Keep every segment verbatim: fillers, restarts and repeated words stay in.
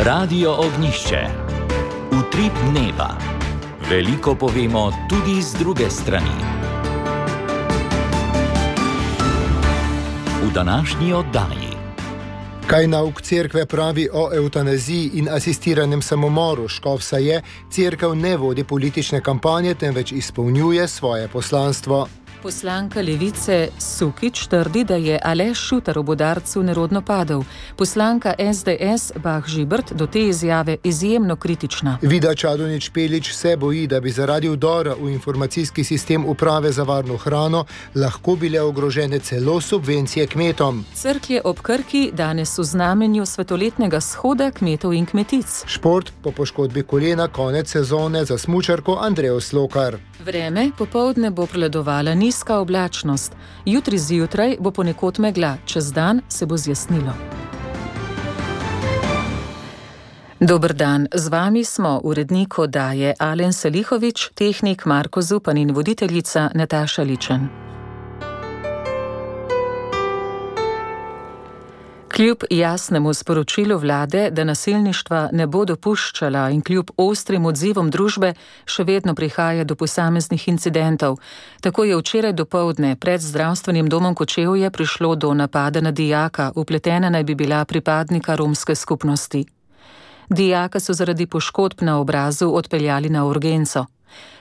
Radio Ognjišče. Utrip dneva. Veliko povemo tudi z druge strani. V današnji oddaji. Kaj nauk cerkve pravi o evtanaziji in asistiranem samomoru? Škofsa je, cerkev ne vodi politične kampanje, temveč izpolnjuje svoje poslanstvo. Poslanka Levice Sukič trdi, da je Aleš Šutar ob udarcu nerodno padel. Poslanka es de es Bah Žibert do te izjave izjemno kritična. Vida Čadonič Špelič se boji, da bi zaradi vdora v informacijski sistem Uprave za varno hrano lahko bile ogrožene celo subvencije kmetom. Cerklje ob Krki danes v znamenju svetoletnega shoda kmetov in kmetic. Šport po poškodbi kolena konec sezone za smučarko Andrejo Slokar. Vreme popoldne bo prevladovala nizka oblačnost. Jutri zjutraj bo ponekod megla, čez dan se bo zjasnilo. Dober dan, z vami smo urednik oddaje Alen Salihović, tehnik Marko Zupan in voditeljica Nataša Ličen. Kljub jasnemu sporočilu vlade, da nasilništva ne bo dopuščala in kljub ostrim odzivom družbe, še vedno prihaja do posameznih incidentov. Tako je včeraj dopoldne pred zdravstvenim domom Kočevje prišlo do napada na dijaka, vpletena naj bi bila pripadnika romske skupnosti. Dijaka so zaradi poškodb na obrazu odpeljali na urgenco.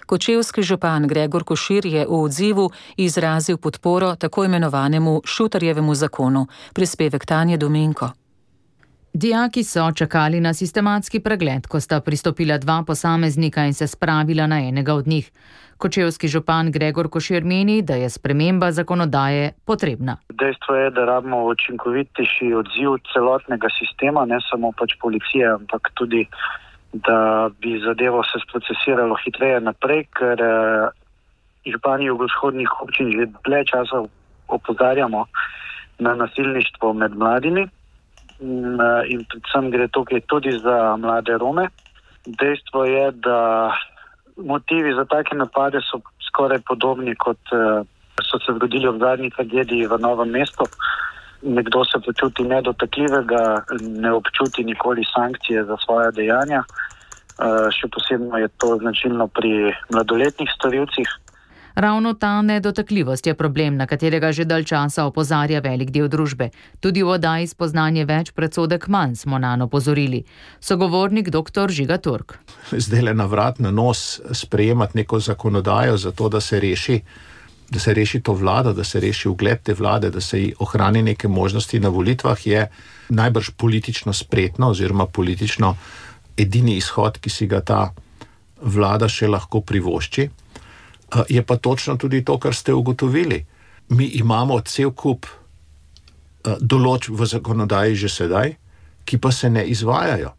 Kočevski župan Gregor Košir je v odzivu izrazil podporo tako imenovanemu Šutarjevemu zakonu. Prispevek Tanje Domenko. Dijaki so čakali na sistematski pregled, ko sta pristopila dva posameznika in se spravila na enega od njih. Kočevski župan Gregor Košir meni, da je sprememba zakonodaje potrebna. Dejstvo je, da rabimo učinkovitejši odziv celotnega sistema, ne samo pač policije, ampak tudi da bi zadevo se sprocesiralo hitreje naprej, ker eh, župani jugovzhodnih občin že dlje časa opozarjamo na nasilništvo med mladimi in, eh, in predvsem gre tukaj tudi za mlade Rome. Dejstvo je, da motivi za take napade so skoraj podobni, kot eh, so se zgodili v zadnji tragediji v Novem mestu. Nekdo se počuti nedotakljivega, ne občuti nikoli sankcije za svoje dejanja. Še posebno je to značilno pri mladoletnih storilcih. Ravno ta nedotakljivost je problem, na katerega že dalj časa opozarja velik del družbe. Tudi v oddaji Spoznanje več, predsodek manj smo nanj opozorili. Sogovornik doktor Žiga Turk. Zdaj le na vrat na nos sprejemati neko zakonodajo za to, da se reši da se reši to vlado, da se reši ugled te vlade, da se ji ohrani neke možnosti na volitvah, je najbrž politično spretno oziroma politično edini izhod, ki si ga ta vlada še lahko privošči. Je pa točno tudi to, kar ste ugotovili. Mi imamo cel kup določb v zakonodaji že sedaj, ki pa se ne izvajajo.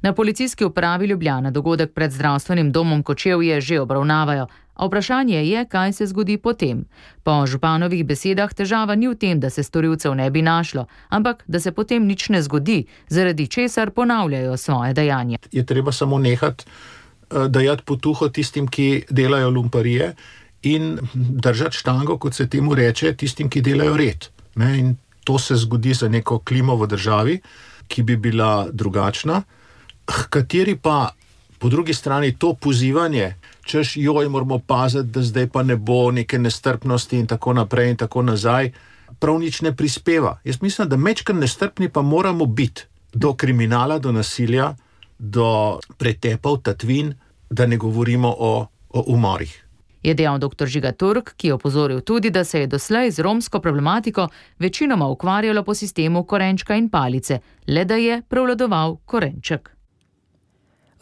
Na policijski upravi Ljubljana dogodek pred zdravstvenim domom Kočevje že obravnavajo, a vprašanje je, kaj se zgodi potem. Po županovih besedah težava ni v tem, da se storilcev ne bi našlo, ampak da se potem nič ne zgodi, zaradi česar ponavljajo svoje dejanje. Je treba samo nehati dajati potuho tistim, ki delajo lumparije in držati štango, kot se temu reče, tistim, ki delajo red. Ne? In to se zgodi za neko klimo v državi, ki bi bila drugačna, kateri pa po drugi strani to pozivanje, češ joj, moramo paziti, da zdaj pa ne bo neke nestrpnosti in tako naprej in tako nazaj, prav nič ne prispeva. Jaz mislim, da mečkar nestrpni pa moramo biti do kriminala, do nasilja, do pretepov, tatvin, da ne govorimo o, o umorih. Je dejal doktor Žiga Turk, ki je opozoril tudi, da se je doslej z romsko problematiko večinoma ukvarjalo po sistemu korenčka in palice, le da je prevladoval korenček.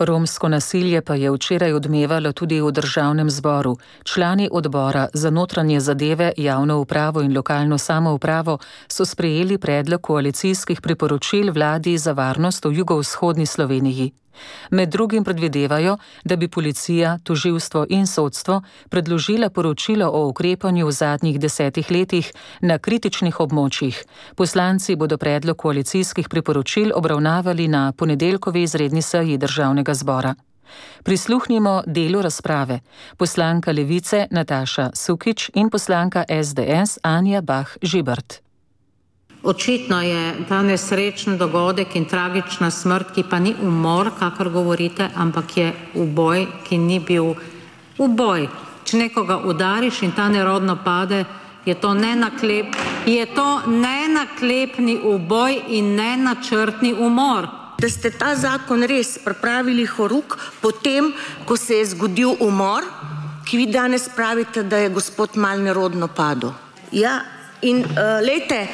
Romsko nasilje pa je včeraj odmevalo tudi v državnem zboru. Člani odbora za notranje zadeve, javno upravo in lokalno samoupravo so sprejeli predlog koalicijskih priporočil vladi za varnost v jugovzhodni Sloveniji. Med drugim predvidevajo, da bi policija, tožilstvo in sodstvo predložila poročilo o ukrepanju v zadnjih desetih letih na kritičnih območjih. Poslanci bodo predlog koalicijskih priporočil obravnavali na ponedeljkovi izredni seji državnega zbora. Prisluhnimo delu razprave. Poslanka Levice Nataša Sukič in poslanka es de es Anja Bah Žibert. Očitno je ta nesrečen dogodek in tragična smrt, ki pa ni umor, kakor govorite, ampak je uboj, ki ni bil uboj. Če nekoga udariš in ta nerodno pade, je to nenaklep, je to nenaklepni uboj in nenačrtni umor. Da ste ta zakon res pripravili horuk potem, ko se je zgodil umor, ki vi danes pravite, da je gospod mal nerodno padel. Ja, in uh, lejte,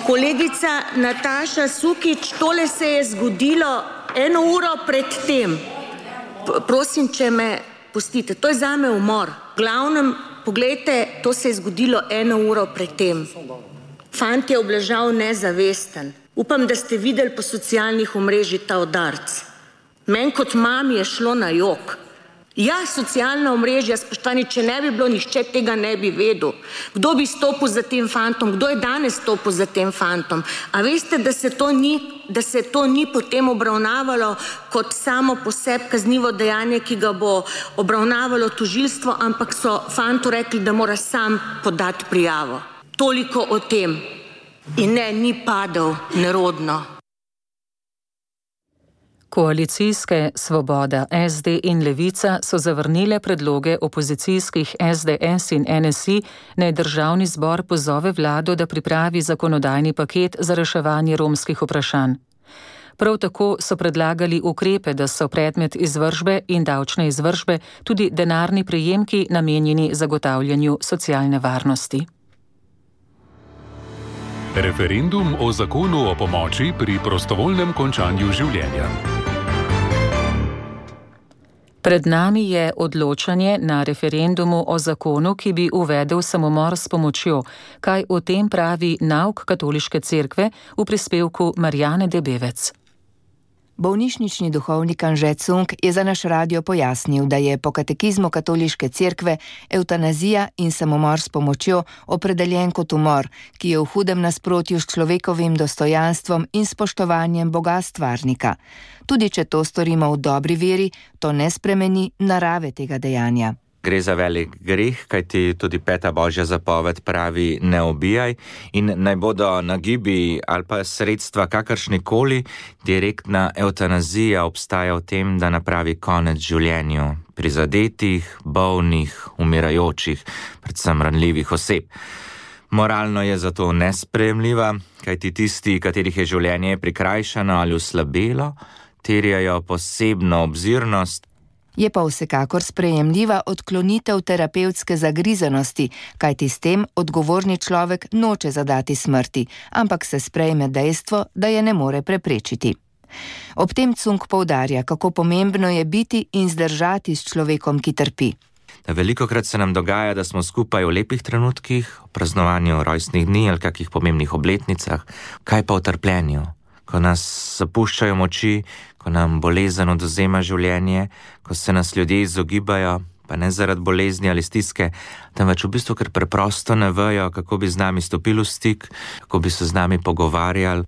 kolegica Nataša Sukič, tole se je zgodilo eno uro pred tem. P- prosim, če me pustite, to je zame umor. V glavnem, poglejte, to se je zgodilo eno uro pred tem. Fant je obležal nezavesten. Upam, da ste videli po socialnih omrežjih ta udarc. Meni kot mami je šlo na jok. Ja, socialna omrežja, spoštovani, če ne bi bilo, nihče tega ne bi vedel. Kdo bi stopil za tem fantom? Kdo je danes stopil za tem fantom? A veste, da se to ni, da se to ni potem obravnavalo kot samo po sebi kaznivo dejanje, ki ga bo obravnavalo tožilstvo, ampak so fantu rekli, da mora sam podati prijavo. Toliko o tem. In ne, ni padel nerodno. Koalicijske Svoboda, S D in Levica so zavrnile predloge opozicijskih S D S in N S I, naj državni zbor pozove vlado, da pripravi zakonodajni paket za reševanje romskih vprašanj. Prav tako so predlagali ukrepe, da so predmet izvršbe in davčne izvršbe tudi denarni prejemki namenjeni zagotavljanju socialne varnosti. Referendum o zakonu o pomoči pri prostovoljnem končanju življenja. Pred nami je odločanje na referendumu o zakonu, ki bi uvedel samomor s pomočjo. Kaj o tem pravi nauk Katoliške cerkve v prispevku Marjane Debevec. Bolnišnični duhovnik Anže Cunk je za naš radio pojasnil, da je po katekizmu Katoliške cerkve evtanazija in samomor s pomočjo opredeljen kot umor, ki je v hudem nasprotju s človekovim dostojanstvom in spoštovanjem Boga stvarnika. Tudi če to storimo v dobri veri, to ne spremeni narave tega dejanja. Gre za velik greh, kajti tudi peta božja zapoved pravi ne ubijaj in naj bodo nagibi ali pa sredstva kakršnikoli, direktna evtanazija obstaja v tem, da napravi konec življenju prizadetih, bolnih, umirajočih, predvsem ranljivih oseb. Moralno je zato nesprejemljiva, kajti tisti, katerih je življenje prikrajšano ali oslabelo, terjajo posebno obzirnost. Je pa vsekakor sprejemljiva odklonitev terapevtske zagrizenosti, kajti s tem odgovorni človek noče zadati smrti, ampak se sprejme dejstvo, da je ne more preprečiti. Ob tem Cunk poudarja, kako pomembno je biti in zdržati s človekom, ki trpi. Velikokrat se nam dogaja, da smo skupaj v lepih trenutkih, v praznovanju rojstnih dni ali kakih pomembnih obletnicah, kaj pa v trpljenju, ko nas zapuščajo moči, ko nam bolezen odvzema življenje, ko se nas ljudje izogibajo, pa ne zaradi bolezni ali stiske, temveč v bistvu, ker preprosto ne vejo, kako bi z nami stopili v stik, kako bi se z nami pogovarjali.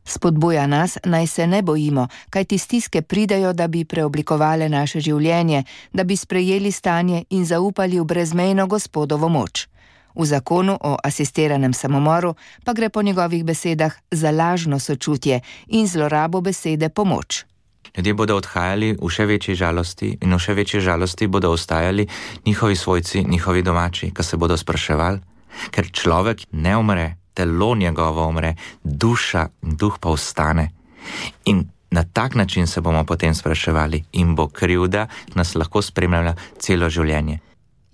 Spodbuja nas, naj se ne bojimo, kajti stiske pridejo, da bi preoblikovale naše življenje, da bi sprejeli stanje in zaupali v brezmejno Gospodovo moč. V zakonu o asistiranem samomoru pa gre po njegovih besedah za lažno sočutje in zlorabo besede pomoč. Ljudje bodo odhajali v še večji žalosti in v še večji žalosti bodo ostajali njihovi svojci, njihovi domači, ki se bodo spraševali, ker človek ne umre, telo njegovo umre, duša in duh pa ostane. In na tak način se bomo potem spraševali in bo krivda nas lahko spremljala celo življenje.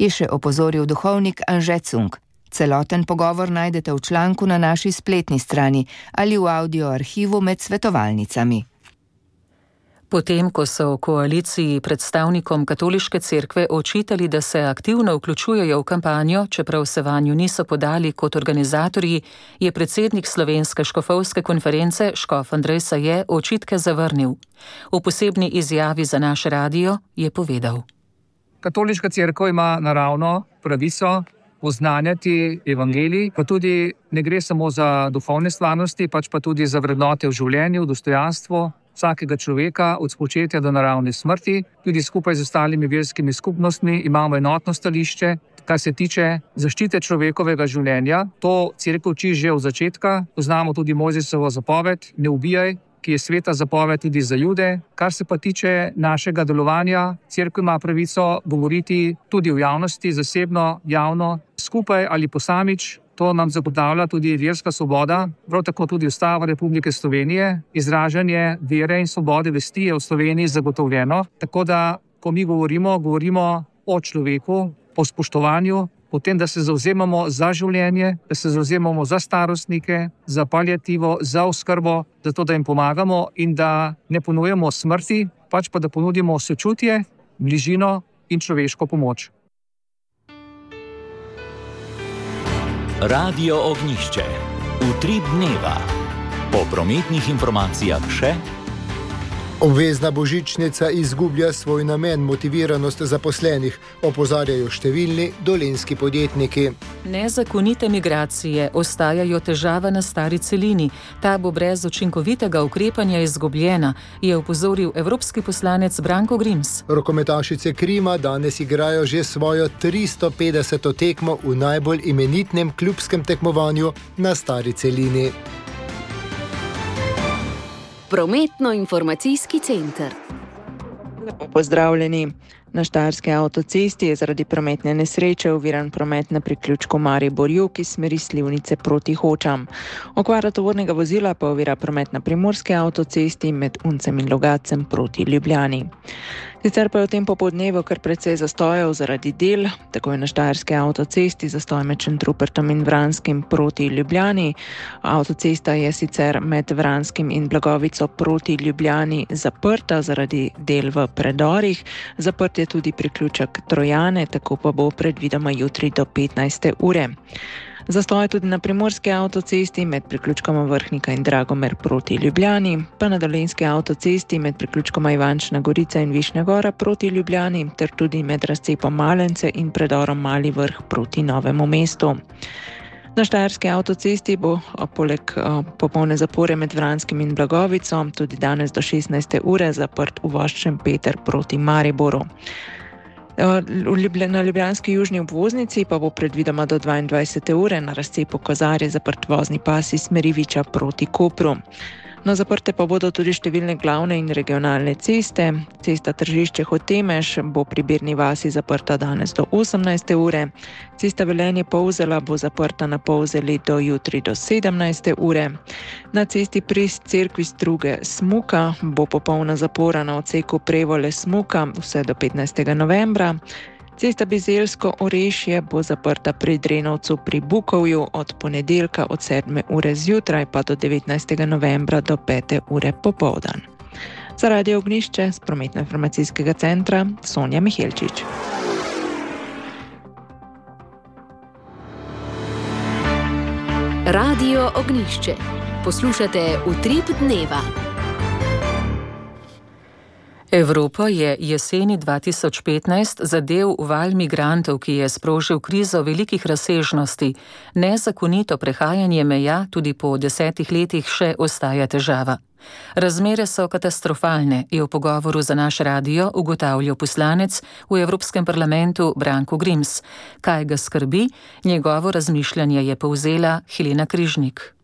Je še opozoril duhovnik Anže Cunk. Celoten pogovor najdete v članku na naši spletni strani ali v audio arhivu med svetovalnicami. Potem, ko so v koaliciji predstavnikom Katoliške cerkve očitali, da se aktivno vključujejo v kampanjo, čeprav se vanju niso podali kot organizatorji, je predsednik Slovenske škofovske konference škof Andrej Saje očitke zavrnil. V posebni izjavi za naš radio je povedal. Katoliška cerkev ima naravno pravico oznanjati evangelij, pa tudi ne gre samo za duhovne stvarnosti, pač pa tudi za vrednote v življenju, dostojanstvo vsakega človeka od spočetja do naravne smrti. Tudi skupaj z ostalimi verskimi skupnostmi imamo enotno stališče, kar se tiče zaščite človekovega življenja. To cerkev uči že od začetka. Poznamo tudi Mojzesovo zapoved, ne ubijaj, ki je sveta zapoved tudi za Jude. Kar se pa tiče našega delovanja, cerkev ima pravico govoriti tudi v javnosti, zasebno, javno, skupaj ali posamič. To nam zagotavlja tudi verska svoboda, prav tako tudi Ustava Republike Slovenije. Izražanje vere in svobode vesti je v Sloveniji zagotovljeno. Tako da, ko mi govorimo, govorimo o človeku, o spoštovanju, o tem, da se zavzemamo za življenje, da se zavzemamo za starostnike, za paliativo, za oskrbo, zato da jim pomagamo in da ne ponujemo smrti, pač pa da ponudimo sočutje, bližino in človeško pomoč. Radio Ognjišče. Utrip dneva. Po prometnih informacijah še: obvezna božičnica izgublja svoj namen, motiviranost zaposlenih, opozarjajo številni dolenjski podjetniki. Nezakonite migracije ostajajo težava na stari celini. Ta bo brez učinkovitega ukrepanja izgubljena, je opozoril evropski poslanec Branko Grims. Rokometašice Krima danes igrajo že svojo tristo petdeseto tekmo v najbolj imenitnem klubskem tekmovanju na stari celini. Prometno-informacijski center. Lepo pozdravljeni. Na štajerski avtocesti je zaradi prometne nesreče oviran promet na priključku Maribor-Jug iz smeri Slivnice proti Hočam. Okvara tovornega vozila pa ovira promet na primorski avtocesti med Uncem in Logatcem proti Ljubljani. Sicer pa je v tem popoldnevu kar precej zastojev zaradi del, tako je na štajerski avtocesti zastoj med Šentrupertom in Vranskim proti Ljubljani. Avtocesta je sicer med Vranskim in Blagovico proti Ljubljani zaprta zaradi del v predorih. Zaprt je tudi priključek Trojane, tako pa bo predvidoma jutri do petnajste ure. Zastoj tudi na primorski avtocesti med priključkoma Vrhnika in Dragomer proti Ljubljani, pa na dolenjski avtocesti med priključkoma Ivančna Gorica in Višnja Gora proti Ljubljani, ter tudi med razcepom Malence in predorom Mali Vrh proti Novemu mestu. Na štajerski avtocesti bo poleg popolne zapore med Vranskim in Blagovico tudi danes do šestnajste ure zaprt uvoz Šempeter proti Mariboru. Na ljubljanski južni obvoznici pa bo predvidoma do dvaindvajsete ure na razcepu Kozarje zaprt vozni pas iz smeri Viča proti Kopru. No, zaprte pa bodo tudi številne glavne in regionalne ceste. Cesta Tržišče-Hotemež bo pri Birni vasi zaprta danes do osemnajste ure. Cesta Velenje-Polzela bo zaprta na Polzeli do jutri do sedemnajste ure. Na cesti pri cerkvi Struge-Smuka bo popolna zapora na odseku Prevole-Smuka vse do petnajstega novembra. Cesta Bizeljsko-Orešje bo zaprta pri Drenovcu pri Bukovju od ponedeljka od sedme ure zjutraj pa do devetnajstega novembra do pete ure popoldan. Za Radio Ognjišče z prometno-informacijskega centra Sonja Mihelčič. Radio Ognjišče. Poslušate Utrip dneva. Evropo je jeseni dva tisoč petnajst zadel val migrantov, ki je sprožil krizo velikih razsežnosti. Nezakonito prehajanje meja tudi po desetih letih še ostaja težava. Razmere so katastrofalne, je v pogovoru za naš radio ugotavljal poslanec v Evropskem parlamentu Branko Grims. Kaj ga skrbi? Njegovo razmišljanje je povzela Helena Križnik.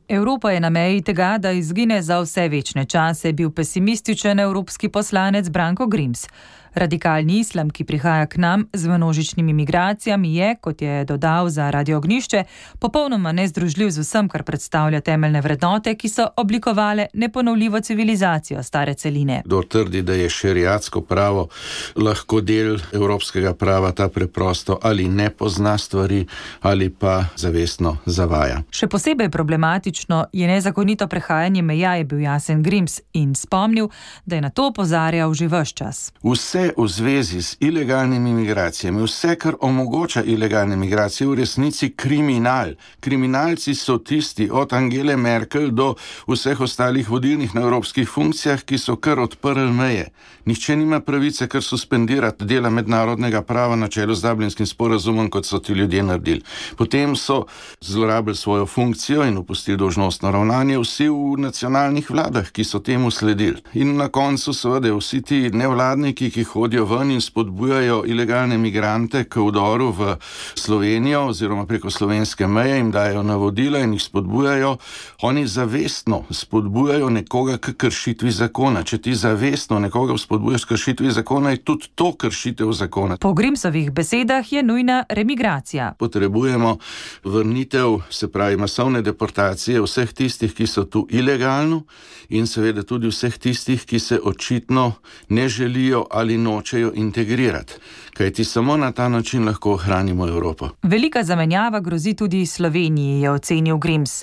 Evropa je na meji tega, da izgine za vse večne čase, bil pesimističen evropski poslanec Branko Grims. Radikalni islam, ki prihaja k nam z množičnimi migracijami, je, kot je dodal za Radio Ognjišče, popolnoma nezdružljiv z vsem, kar predstavlja temeljne vrednote, ki so oblikovale neponovljivo civilizacijo stare celine. Kdor trdi, da je šeriatsko pravo lahko del evropskega prava, ta preprosto ali ne pozna stvari ali pa zavestno zavaja. Še posebej problematično je nezakonito prehajanje meja, je bil jasen Grims in spomnil, da je na to opozarjal že ves čas. Vse v zvezi z ilegalnimi migracijami, vse, kar omogoča ilegalne migracije, v resnici kriminal. Kriminalci so tisti od Angele Merkel do vseh ostalih vodilnih na evropskih funkcijah, ki so kar odprli meje. Nihče nima pravice kar suspendirati dela mednarodnega prava na čelu z Dublinskim sporazumom, kot so ti ljudje naredili. Potem so zlorabili svojo funkcijo in opustili dolžnostno ravnanje vsi v nacionalnih vladah, ki so temu sledili. In na koncu seveda vsi ti nevladniki, ki hodijo ven in spodbujajo ilegalne migrante k vdoru v Slovenijo oziroma preko slovenske meje, jim dajo navodila in jih spodbujajo. Oni zavestno spodbujajo nekoga k kršitvi zakona. Če ti zavestno nekoga spodbujaš k kršitvi zakona, je tudi to kršitev zakona. Po Grimsovih besedah je nujna remigracija. Potrebujemo vrnitev, se pravi masovne deportacije vseh tistih, ki so tu ilegalno in seveda tudi vseh tistih, ki se očitno ne želijo ali nočejo integrirati. Kajti samo na ta način lahko ohranimo Evropo. Velika zamenjava grozi tudi Sloveniji, je ocenil Grims.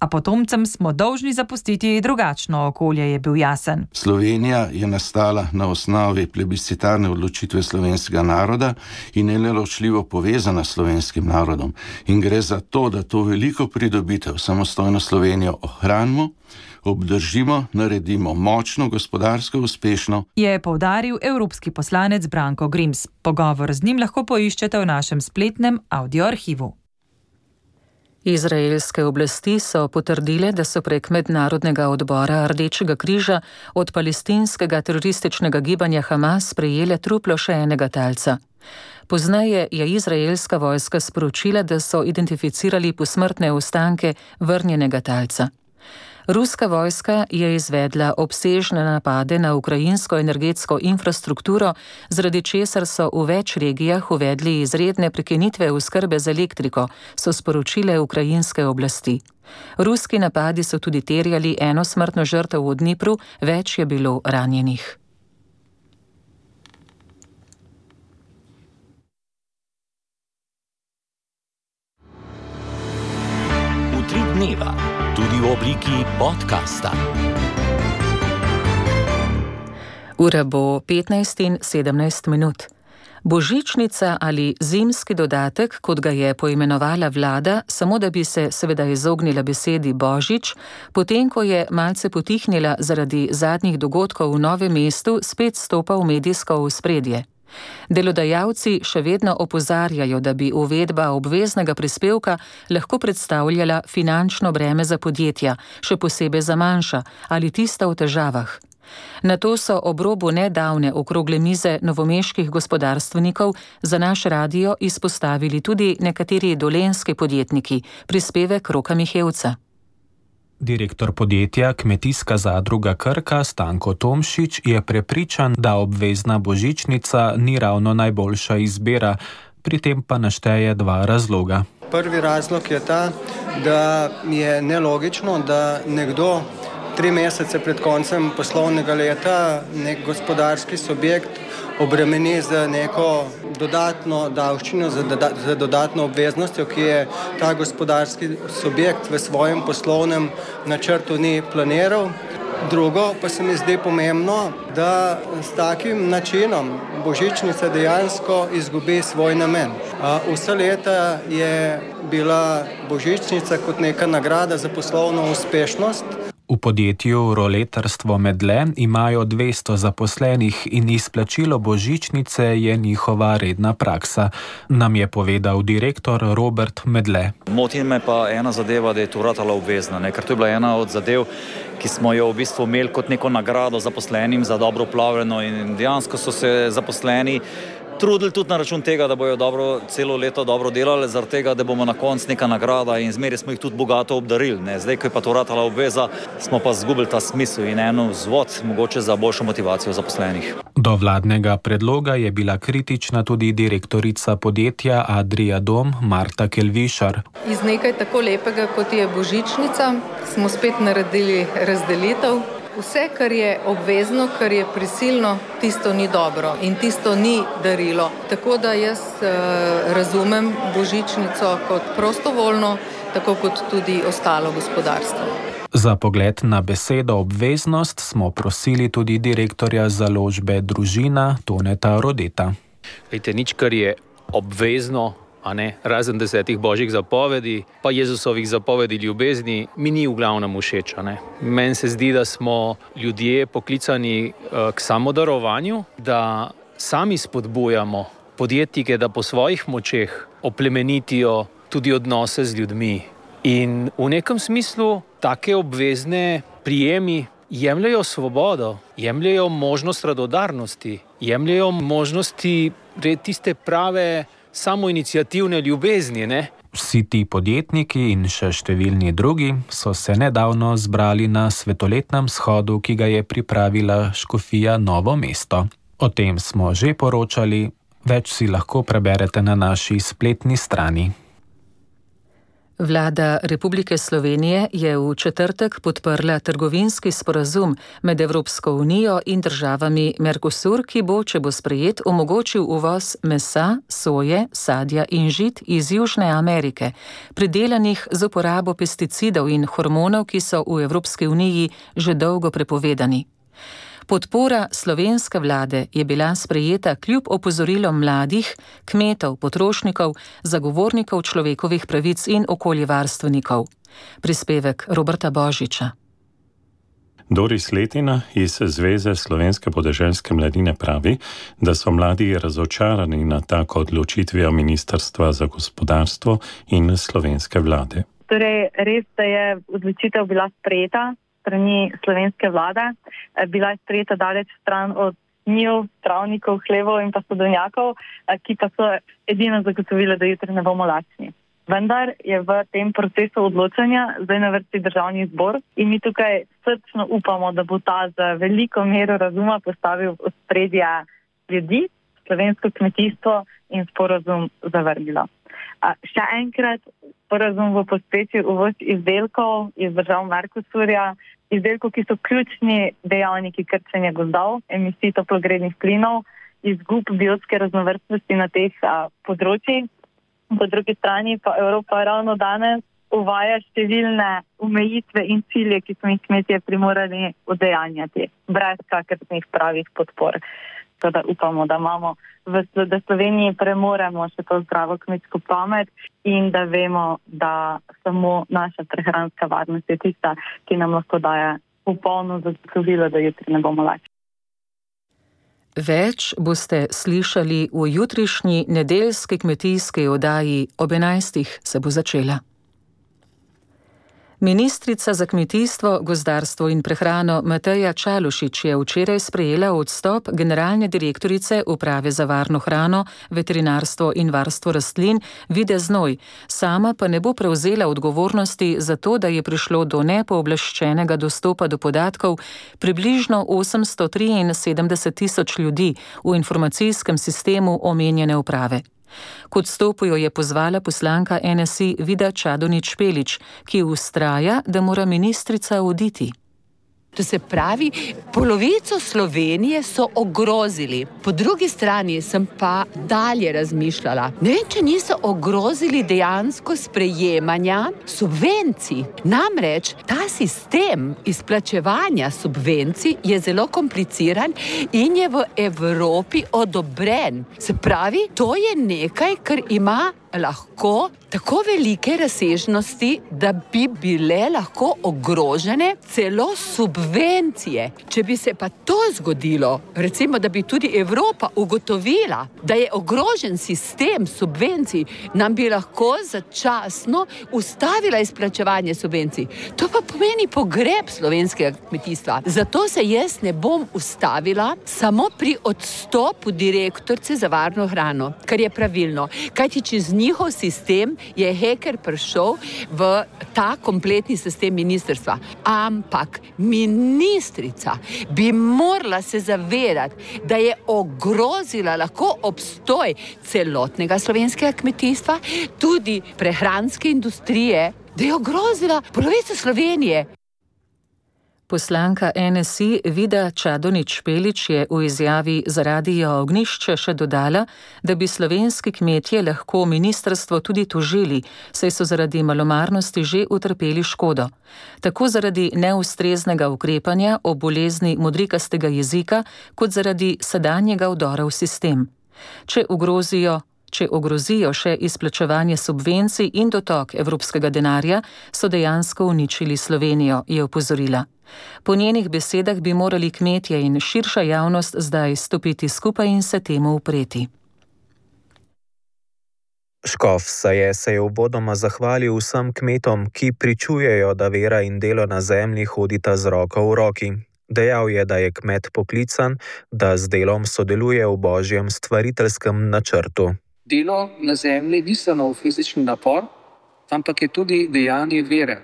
A potomcem smo dolžni zapustiti drugačno okolje, je bil jasen. Slovenija je nastala na osnovi plebiscitarne odločitve slovenskega naroda in je neločljivo povezana s slovenskim narodom. In gre za to, da to veliko pridobitev, samostojno Slovenijo ohranimo, obdržimo, naredimo močno, gospodarsko uspešno. Je poudaril evropski poslanec Branko Grims. Pogovor z njim lahko poiščete v našem spletnem audioarhivu. Izraelske oblasti so potrdile, da so prek mednarodnega odbora Rdečega križa od palestinskega terorističnega gibanja Hamas sprejele truplo še enega talca. Pozneje je izraelska vojska sporočila, da so identificirali posmrtne ostanke vrnjenega talca. Ruska vojska je izvedla obsežne napade na ukrajinsko energetsko infrastrukturo, zaradi česar so v več regijah uvedli izredne prekinitve oskrbe z elektriko, so sporočile ukrajinske oblasti. Ruski napadi so tudi terjali eno smrtno žrtev v Dnipru, več je bilo ranjenih. Utrip dneva. Tudi v obliki podcasta. Ura bo petnajst in sedemnajst minut. Božičnica ali zimski dodatek, kot ga je poimenovala vlada, samo da bi se seveda izognila besedi božič, potem ko je malce potihnila zaradi zadnjih dogodkov v Novem mestu, spet stopa v medijsko ospredje. Delodajalci še vedno opozarjajo, da bi uvedba obveznega prispevka lahko predstavljala finančno breme za podjetja, še posebej za manjša ali tista v težavah. Na to so ob robu nedavne okrogle mize novomeških gospodarstvenikov za naš radio izpostavili tudi nekateri dolenjski podjetniki, prispevek Roka Mihevca. Direktor podjetja Kmetijska zadruga Krka Stanko Tomšič je prepričan, da obvezna božičnica ni ravno najboljša izbira, pri tem pa našteje dva razloga. Prvi razlog je ta, da je nelogično, da nekdo tri mesece pred koncem poslovnega leta nek gospodarski subjekt obremeni za neko dodatno davščino, za, doda, za dodatno obveznostjo, ki je ta gospodarski subjekt v svojem poslovnem načrtu ni planiral. Drugo pa se mi zdi pomembno, da s takim načinom božičnica dejansko izgubi svoj namen. Vsa leta je bila božičnica kot neka nagrada za poslovno uspešnost. V podjetju Roletarstvo Medle imajo dvesto zaposlenih in izplačilo božičnice je njihova redna praksa, nam je povedal direktor Robert Medle. Moti me pa ena zadeva, da je to ratala obvezna, ne? Ker to je bila ena od zadev, ki smo jo v bistvu imeli kot neko nagrado zaposlenim za dobro upravljeno in dejansko so se zaposleni trudili tudi na račun tega, da bojo dobro, celo leto dobro delali, zaradi tega, da bomo na koncu neka nagrada in zmeraj smo jih tudi bogato obdarili. Ne? Zdaj, ko je pa to ratala obveza, smo pa zgubili ta smisel in eno vzvod mogoče za boljšo motivacijo zaposlenih. Do vladnega predloga je bila kritična tudi direktorica podjetja Adria Dom Marta Kelvišar. Iz nekaj tako lepega, kot je božičnica, smo spet naredili razdelitev. Vse, kar je obvezno, kar je prisilno, tisto ni dobro in tisto ni darilo. Tako da jaz uh, razumem božičnico kot prostovoljno, tako kot tudi ostalo gospodarstvo. Za pogled na besedo obveznost smo prosili tudi direktorja založbe Družina Toneta Rodeta. Vejte, nič, kar je obvezno, a ne, razen desetih božjih zapovedi, pa Jezusovih zapovedi ljubezni, mi ni v glavnem všeč. Meni se zdi, da smo ljudje poklicani uh, k samodarovanju, da sami spodbujamo podjetnike, da po svojih močeh oplemenitijo tudi odnose z ljudmi. In v nekem smislu take obvezne prijemi jemljajo svobodo, jemljajo možnost radodarnosti, jemljajo možnosti tiste prave samoiniciativne ljubezni, ne? Vsi ti podjetniki in še številni drugi so se nedavno zbrali na svetoletnem shodu, ki ga je pripravila škofija Novo mesto. O tem smo že poročali, več si lahko preberete na naši spletni strani. Vlada Republike Slovenije je v četrtek podprla trgovinski sporazum med Evropsko unijo in državami Mercosur, ki bo, če bo sprejet, omogočil uvoz mesa, soje, sadja in žit iz Južne Amerike, pridelanih z uporabo pesticidov in hormonov, ki so v Evropski uniji že dolgo prepovedani. Podpora slovenske vlade je bila sprejeta kljub opozorilom mladih, kmetov, potrošnikov, zagovornikov človekovih pravic in okoljevarstvenikov. Prispevek Roberta Božiča. Doris Letina iz Zveze slovenske podeželske mladine pravi, da so mladi razočarani na tako odločitvijo Ministrstva za gospodarstvo in slovenske vlade. Torej, res, da je odločitev bila sprejeta strani slovenske vlade, bila je sprejeta daleč stran od njiv, travnikov, hlevov in pa sodovnjakov, ki pa so edino zagotovile, da jutri ne bomo lačni. Vendar je v tem procesu odločanja zdaj na vrsti Državni zbor in mi tukaj srčno upamo, da bo ta za veliko mero razuma postavil v ospredje ljudi, slovensko kmetijstvo in sporazum zavrnilo. A še enkrat, sporazum bo pospešil uvoz izdelkov iz držav Mercosurja, izdelkov, ki so ključni dejavniki krčenja gozdov, emisij toplogrednih plinov, izgub biotske raznovrstnosti na teh a, področjih. Po drugi strani pa Evropa ravno danes uvaja številne omejitve in cilje, ki smo jih kmetje primorani udejanjati, brez kakršnih pravih podpor. Da upamo, da imamo v da Sloveniji premoremo še to zdravo kmetsko pamet in da vemo, da samo naša prehranska varnost je tista, ki nam lahko daje popolno zagotovilo, da jutri ne bomo lačni. Več boste slišali v jutrišnji nedeljski kmetijski oddaji ob enajstih se bo začela. Ministrica za kmetijstvo, gozdarstvo in prehrano Mateja Čalušić je včeraj sprejela odstop generalne direktorice Uprave za varno hrano, veterinarstvo in varstvo rastlin Vide Znoj. Sama pa ne bo prevzela odgovornosti za to, da je prišlo do nepooblaščenega dostopa do podatkov približno osemsto triinsedemdeset tisoč ljudi v informacijskem sistemu omenjene uprave. K odstopu jo je pozvala poslanka N S I Vida Čadonič Špelič, ki vztraja, da mora ministrica oditi. To se pravi, polovico Slovenije so ogrozili. Po drugi strani sem pa dalje razmišljala. Ne vem, če niso ogrozili dejansko sprejemanja subvencij. Namreč ta sistem izplačevanja subvencij je zelo kompliciran in je v Evropi odobren. Se pravi, to je nekaj, kar ima lahko tako velike razsežnosti, da bi bile lahko ogrožene celo subvencije. Če bi se pa to zgodilo, recimo, da bi tudi Evropa ugotovila, da je ogrožen sistem subvencij, nam bi lahko začasno ustavila izplačevanje subvencij. To pa pomeni pogreb slovenskega kmetijstva. Zato se jaz ne bom ustavila samo pri odstopu direktorice za varno hrano, kar je pravilno. Kajti čez njihov sistem je heker prišel v ta kompletni sistem ministrstva. Ampak ministrica bi morala se zavedati, da je ogrozila lahko obstoj celotnega slovenskega kmetijstva, tudi prehranske industrije, da je ogrozila polovico Slovenije. Poslanka N S I Vida Čadonič Špelič je v izjavi za Radio Ognjišče še dodala, da bi slovenski kmetje lahko ministrstvo tudi tožili, saj so zaradi malomarnosti že utrpeli škodo. Tako zaradi neustreznega ukrepanja o bolezni modrikastega jezika, kot zaradi sedanjega vdora v sistem. Če ogrozijo Če ogrozijo še izplačevanje subvencij in dotok evropskega denarja, so dejansko uničili Slovenijo, je opozorila. Po njenih besedah bi morali kmetje in širša javnost zdaj stopiti skupaj in se temu upreti. Škof Saje se je uvodoma zahvalil vsem kmetom, ki pričujejo, da vera in delo na zemlji hodita z roko v roki. Dejal je, da je kmet poklican, da z delom sodeluje v božjem stvariteljskem načrtu. Delo na zemlji ni samo fizični napor, ampak je tudi dejanje vere.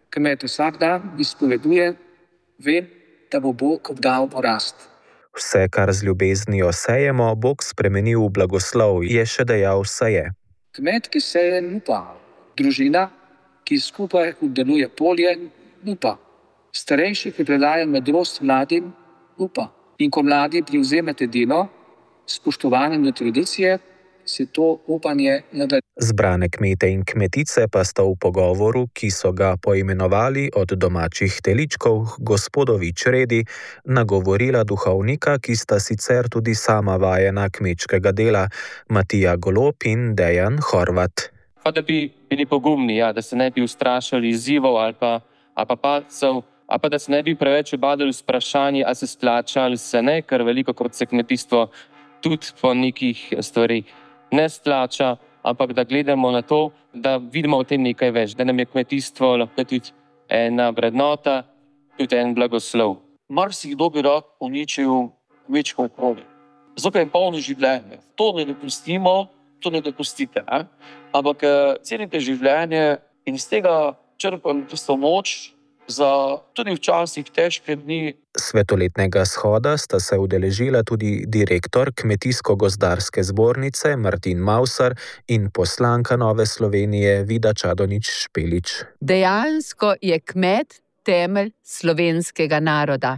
Kmet vsak dan izpoveduje, ve, da bo Bog obdal porast. Vse, kar z ljubeznijo sejemo, Bog spremeni v blagoslov, je še dejal Saje. Kmet, ki seje, upa. Družina, ki skupaj obdeluje polje, upa. Starejši, ki predaja modrost mladim, upa. In ko mladi privzemete delo, spoštovanje do tradicije, se to upanje nadaljuje. Zbrane kmete in kmetice pa sta v pogovoru, ki so ga poimenovali od domačih teličkov gospodovi čredi, nagovorila duhovnika, ki sta sicer tudi sama vajena kmečkega dela, Matija Golob in Dejan Horvat. Pa da bi bili pogumni, ja, da se ne bi ustrašali izzivov ali pa, ali pa padcev, ali pa da se ne bi preveč obadali z vprašanji, ali se splača ali se ne, ker veliko krat se kmetijstvo tudi po nekih stvarih ne splača, ampak da gledamo na to, da vidimo v tem nekaj več, da nam je kmetijstvo lahko tudi ena vrednota, tudi en blagoslov. Marsikdo bi rad uničil kmečko okolje. Zato je polno življenje. To ne dopustimo, to ne dopustite. Ne? Ampak cenite življenje in iz tega črpam tisto moč za tudi včasih težke dni. Svetoletnega shoda sta se udeležila tudi direktor Kmetijsko-gozdarske zbornice Martin Mausar in poslanka Nove Slovenije Vida Čadonič Špelič. Dejansko je kmet temelj slovenskega naroda.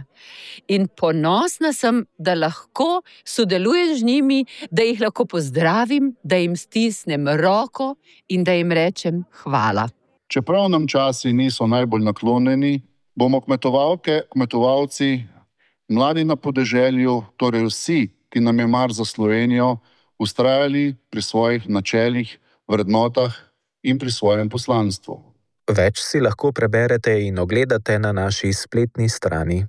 In ponosna sem, da lahko sodelujem z njimi, da jih lahko pozdravim, da jim stisnem roko in da jim rečem hvala. Čeprav nam časi niso najbolj naklonjeni, bomo kmetovalke, kmetovalci, mladi na podeželju, torej vsi, ki nam je mar za Slovenijo, vztrajali pri svojih načelih, vrednotah in pri svojem poslanstvu. Več si lahko preberete in ogledate na naši spletni strani.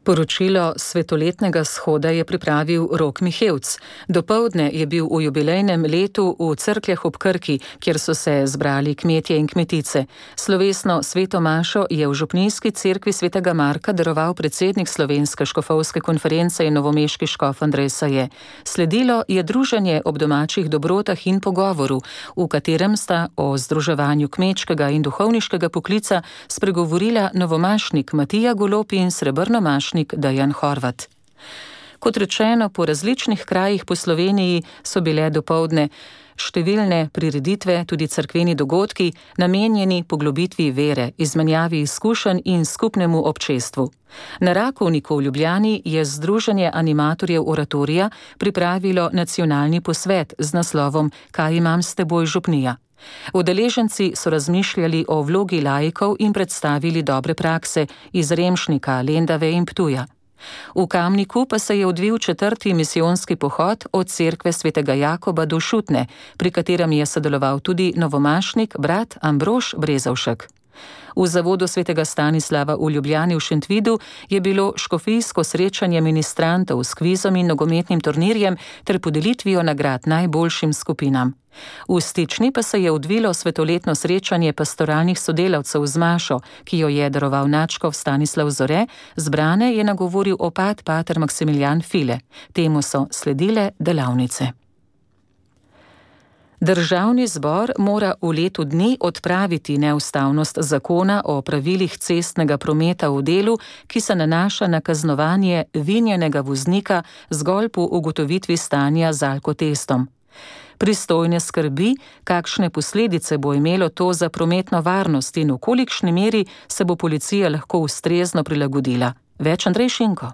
Poročilo svetoletnega shoda je pripravil Rok Mihevc. Dopoldne je bil v jubilejnem letu v Cerkljah ob Krki, kjer so se zbrali kmetje in kmetice. Slovesno sveto mašo je v župnijski cerkvi svetega Marka daroval predsednik Slovenske škofovske konference in novomeški škof Andrej Saje. Sledilo je druženje ob domačih dobrotah in pogovoru, v katerem sta o združevanju kmečkega in duhovniškega poklica spregovorila novomašnik Matija Golob in srebrnomašnik Dejan Horvat. Kot rečeno, po različnih krajih po Sloveniji so bile dopoldne številne prireditve, tudi cerkveni dogodki, namenjeni poglobitvi vere, izmenjavi izkušenj in skupnemu občestvu. Na Rakovniku v Ljubljani je Združenje animatorjev oratorija pripravilo nacionalni posvet z naslovom Kaj imam s teboj, župnija. Udeleženci so razmišljali o vlogi laikov in predstavili dobre prakse iz Remšnika, Lendave in Ptuja. V Kamniku pa se je odvil četrti misijonski pohod od cerkve svetega Jakoba do Šutne, pri katerem je sodeloval tudi novomašnik brat Ambrož Brezovšek. V zavodu svetega Stanislava v Ljubljani v Šentvidu je bilo škofijsko srečanje ministrantov s kvizom in nogometnim turnirjem ter podelitvijo nagrad najboljšim skupinam. V Stični pa se je odvilo svetoletno srečanje pastoralnih sodelavcev z mašo, ki jo je daroval nadškof Stanislav Zore, zbrane je nagovoril opat pater Maksimilijan File. Temu so sledile delavnice. Državni zbor mora v letu dni odpraviti neustavnost zakona o pravilih cestnega prometa v delu, ki se nanaša na kaznovanje vinjenega voznika zgolj po ugotovitvi stanja z alkotestom. Pristojne skrbi, kakšne posledice bo imelo to za prometno varnost in v kolikšni meri se bo policija lahko ustrezno prilagodila. Več Andrej Šinko.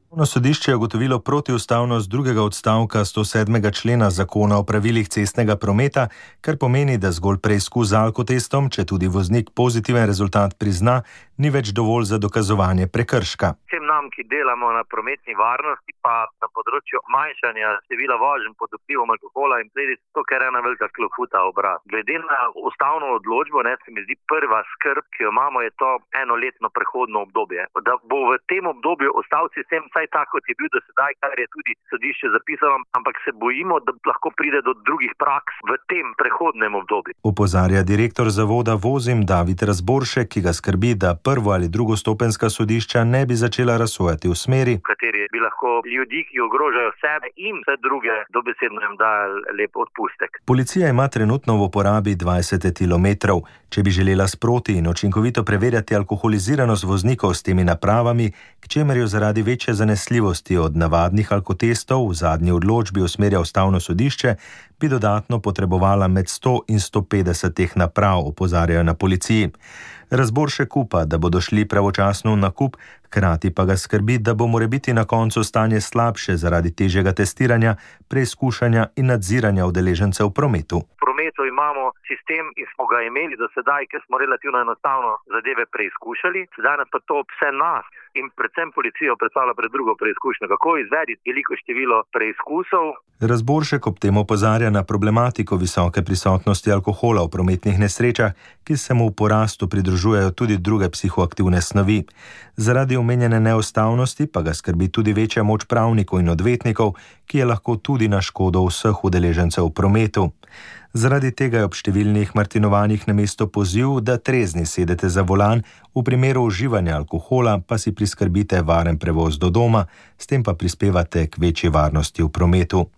Vrhovno sodišče je ugotovilo protiustavnost drugega odstavka sto sedmega člena zakona o pravilih cestnega prometa, kar pomeni, da zgolj preizkus z alkotestom, če tudi voznik pozitiven rezultat prizna, ni več dovolj za dokazovanje prekrška. Vsem nam, ki delamo na prometni varnosti, pa na področju manjšanja števila voženj pod vplivom alkohola in posledic, to kar je ena velika klofuta obrat. Glede na ustavno odločbo, ne, se mi zdi prva skrb, ki jo imamo, je to enoletno prehodno obdobje. Da bo v tem obdobju ostal sistem vsaj tako, kot je bil do sedaj, kar je tudi sodišče zapisalo, ampak se bojimo, da lahko pride do drugih praks v tem prehodnem obdobju. Opozarja direktor zavoda Vozim David Razboršek, ki ga skrbi, da prvo ali drugostopenjska sodišča ne bi začela razsojati v smeri, v kateri bi lahko ljudi, ki ogrožajo sebe in vse druge, dobesedno jim dali lep odpustek. Policija ima trenutno v uporabi dvajset etilmetrov. Če bi želela sproti in učinkovito preverjati alkoholiziranost voznikov s temi napravami, k čemer jo zaradi večje zanesljivosti od navadnih alkotestov v zadnji odločbi usmerja ustavno sodišče, bi dodatno potrebovala med sto in sto petdeset teh naprav, opozarjajo na policiji. Razboršek upa, da bodo šli pravočasno v nakup, hkrati pa ga skrbi, da bo morebiti na koncu stanje slabše zaradi težjega testiranja, preizkušanja in nadziranja udeležencev v prometu. V prometu imamo sistem in smo ga imeli do sedaj, ker smo relativno enostavno zadeve preizkušali, sedaj nas pa to vse nas in predvsem policijo predstavlja pred drugo preizkušnjo, kako izvediti veliko število preizkusov. Razboršek ob tem opozarja na problematiko visoke prisotnosti alkohola v prometnih nesrečah, ki se mu v porastu pridružujejo tudi druge psihoaktivne snovi. Zaradi omenjene neustavnosti pa ga skrbi tudi večja moč pravnikov in odvetnikov, ki je lahko tudi na škodo vseh udeležencev v prometu. Zaradi tega je ob številnih martinovanjih namesto poziv, da trezni sedete za volan, v primeru uživanja alkohola pa si priskrbite varen prevoz do doma, s tem pa prispevate k večji varnosti v prometu.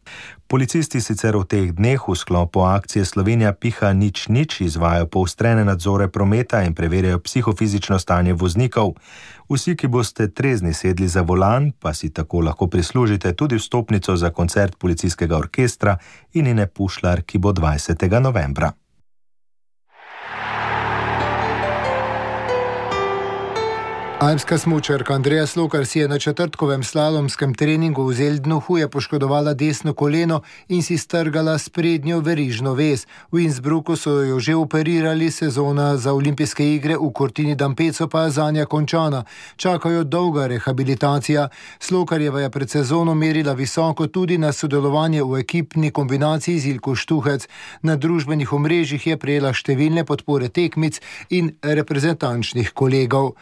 Policisti sicer v teh dneh v sklopu akcije Slovenija piha nič nič izvajajo poostrene nadzore prometa in preverjajo psihofizično stanje voznikov. Vsi, ki boste trezni sedli za volan, pa si tako lahko prislužite tudi vstopnico za koncert policijskega orkestra Inine Pušlar, ki bo dvajsetega novembra. Alpska smučarka Andreja Slokar si je na četrtkovem slalomskem treningu v Zeldnu huje poškodovala desno koleno in si strgala sprednjo verižno vez. V Innsbrucku so jo že operirali, sezona za olimpijske igre v Cortini d'Ampezzo pa je zanja končana. Čakajo dolga rehabilitacija. Slokarjeva je pred sezono merila visoko tudi na sodelovanje v ekipni kombinaciji z Ilko Štuhec. Na družbenih omrežjih je prejela številne podpore tekmic in reprezentančnih kolegov.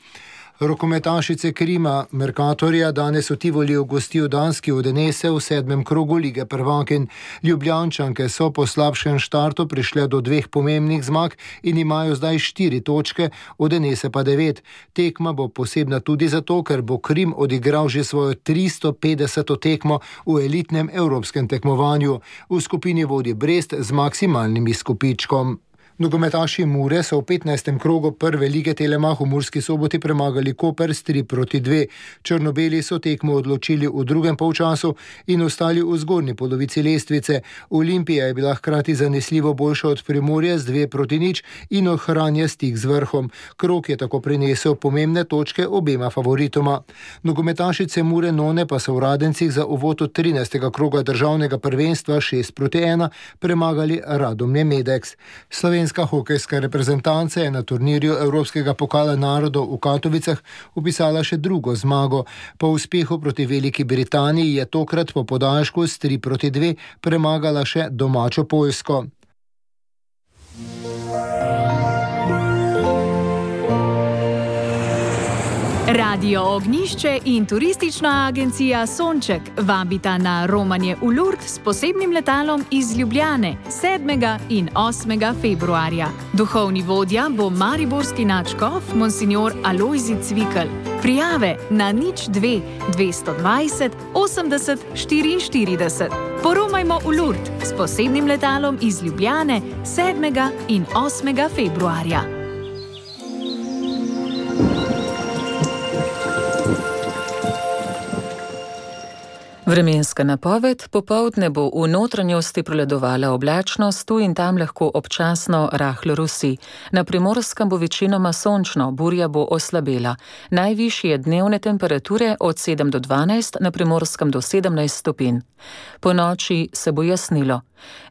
Rokometašice Krima Mercatorja danes v Tivoliju gostijo danski Odense v sedmem krogu lige prvakinj. Ljubljančanke so po slabšem štartu prišle do dveh pomembnih zmag in imajo zdaj štiri točke, Odense pa devet. Tekma bo posebna tudi zato, ker bo Krim odigral že svojo tristo petdeseto tekmo v elitnem evropskem tekmovanju. V skupini vodi Brest z maksimalnim izkupičkom. Nogometaši Mure so v petnajstem krogu prve lige Telemach v Murski Soboti premagali Koper s tri proti dve. Črnobeli so tekmo odločili v drugem polčasu in ostali v zgornji polovici lestvice. Olimpija je bila hkrati zanesljivo boljša od Primorja z dve proti nič in ohranja stik z vrhom. Krog je tako prinesel pomembne točke obema favoritoma. Nogometašice Mure None pa so v Radencih za uvod od trinajstega kroga državnega prvenstva šest proti ena premagali Radomlje Medex. Slovenska hokejska reprezentanca je na turnirju Evropskega pokala narodov v Katovicah upisala še drugo zmago. Po uspehu proti Veliki Britaniji je tokrat po podaljšku s tri proti dve premagala še domačo Poljsko. Radio Ognjišče in turistična agencija Sonček vabita na romanje v Lourdes s posebnim letalom iz Ljubljane sedmega in osmega februarja. Duhovni vodja bo mariborski nadškof monsignor Alojzij Cvikl. Prijave na nič dve dvesto dvajset osemdeset štiriinštirideset. Poromajmo v Lourdes s posebnim letalom iz Ljubljane sedmega in osmega februarja. Vremenska napoved: popoldne bo v notranjosti prevladovala oblačnost, tu in tam lahko občasno rahlo rusi. Na Primorskem bo večinoma sončno, burja bo oslabela. Najvišje dnevne temperature od sedem do dvanajst, na Primorskem do sedemnajst stopinj. Po noči se bo jasnilo.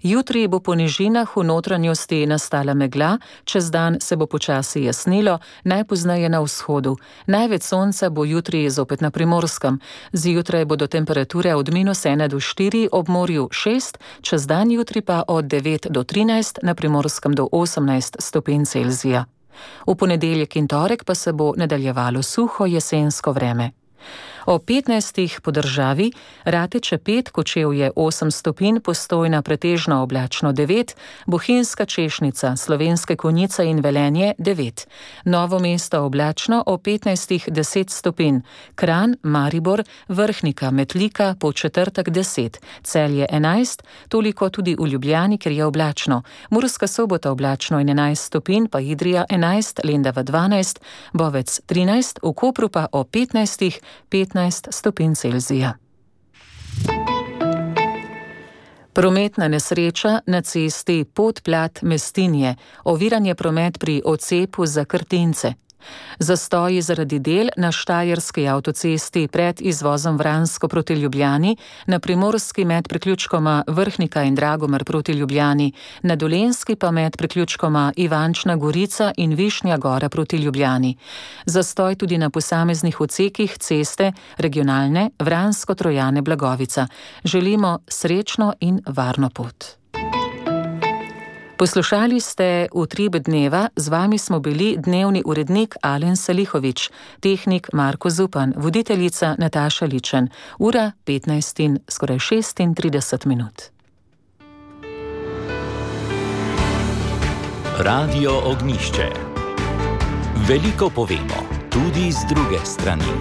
Jutri bo po nižinah v notranjosti nastala megla, čez dan se bo počasi jasnilo, najpozneje na vzhodu. Največ sonca bo jutri zopet na Primorskem. Zjutraj bodo temperature od minus ena do štiri, ob morju šest, čez dan jutri pa od devet do trinajst, na Primorskem do osemnajst stopinj Celzija. V ponedeljek in torek pa se bo nadaljevalo suho jesensko vreme. O petnajstih po državi: Rateče pet, Kočevje osem stopinj, Postojna pretežno oblačno devet, Bohinjska Češnica, Slovenske Konjice in Velenje devet. Novo Mesto oblačno, o petnajstih deset stopinj, Kranj, Maribor, Vrhnika, Metlika, Podčetrtek deset, Celje enajst, toliko tudi v Ljubljani, ker je oblačno. Murska Sobota oblačno in enajst stopinj, pa Idrija enajst, Lendava dvanajst, Bovec trinajst, v Kopru pa o petnajstih petnajst stopinj Celzija. Prometna nesreča na cesti Podplat-Mestinje, oviran je promet pri odcepu za Krtince. Zastoji zaradi del na štajerski avtocesti pred izvozom Vransko proti Ljubljani, na primorski med priključkoma Vrhnika in Dragomir proti Ljubljani, na dolenski pa med priključkoma Ivančna Gorica in Višnja Gora proti Ljubljani. Zastoj tudi na posameznih odsekih ceste regionalne Vransko-Trojane-Blagovica. Želimo srečno in varno pot. Poslušali ste Utrip dneva, z vami smo bili dnevni urednik Alen Salihovič, tehnik Marko Zupan, voditeljica Nataša Ličen. Ura petnajst in skoraj šestintrideset minut. Radio Ognjišče. Veliko povemo, tudi z druge strani.